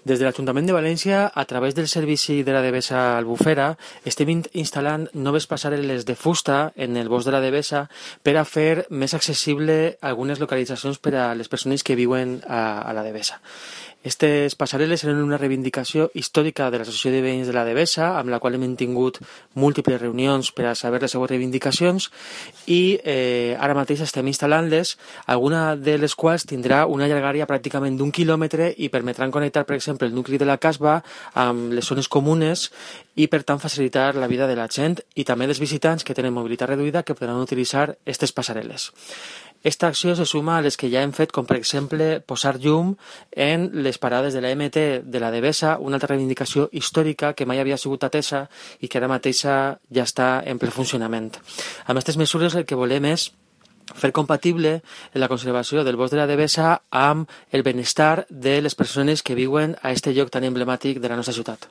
Des de l'Ajuntament de València, a través del servici de la Devesa Albufera, estem instal·lant noves passarel·les de fusta en el bosc de la Devesa per a fer més accessible algunes localitzacions per a les persones que viuen a la Devesa. Aquestes passarel·les eren una reivindicació històrica de l'Associació de Veïns de la Devesa, amb la qual hem tingut múltiples reunions per a saber les seues reivindicacions i ara mateix estem instal·lant-les, alguna de les quals tindrà una llargària pràcticament d'1 quilòmetre i permetran connectar, per exemple, el nucli de la Casba amb les zones comunes i, per tant, facilitar la vida de la gent i també dels visitants que tenen mobilitat reduïda que podran utilitzar aquestes passarel·les. Esta acció se suma a les que ja hem fet, com per exemple posar llum en les parades de la MT de la Devesa, una altra reivindicació històrica que mai havia sigut atesa i que ara mateixa ja està en ple funcionament. Amb aquestes mesures el que volem és fer compatible la conservació del bosc de la Devesa amb el benestar de les persones que viuen a aquest lloc tan emblemàtic de la nostra ciutat.